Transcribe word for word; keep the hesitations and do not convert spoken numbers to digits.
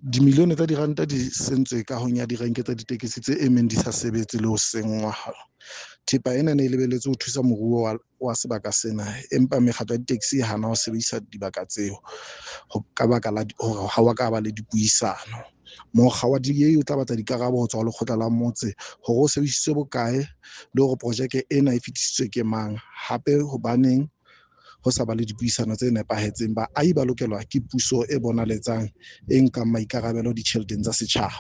Dimilione tsa diranta di sentswe kahong ya direnke tsa ditekesi tse emeng di sa sebetse le ho senngwa. Thepa ena e ne e lebelletswe ho thusa moruo wa, wa sebaka sena, empa mekgatlo ya ditekesi e hana ho sebedisa dibaka tseo ka baka la hore ha wa ka ba le dipuisano. Mokga wa D A o tla batla dikarabo ho tswa ho lekgotla la motse hore o sebedisitswe bokae le hore projeke ena e fetisitswe ke mang, hape hobaneng ho sa ba le dipuisano tse nepahetseng. Baahi ba lokelwa ke puso e bonaletsang, e nkang maikarabelo ditjheleteng tsa setjhaba.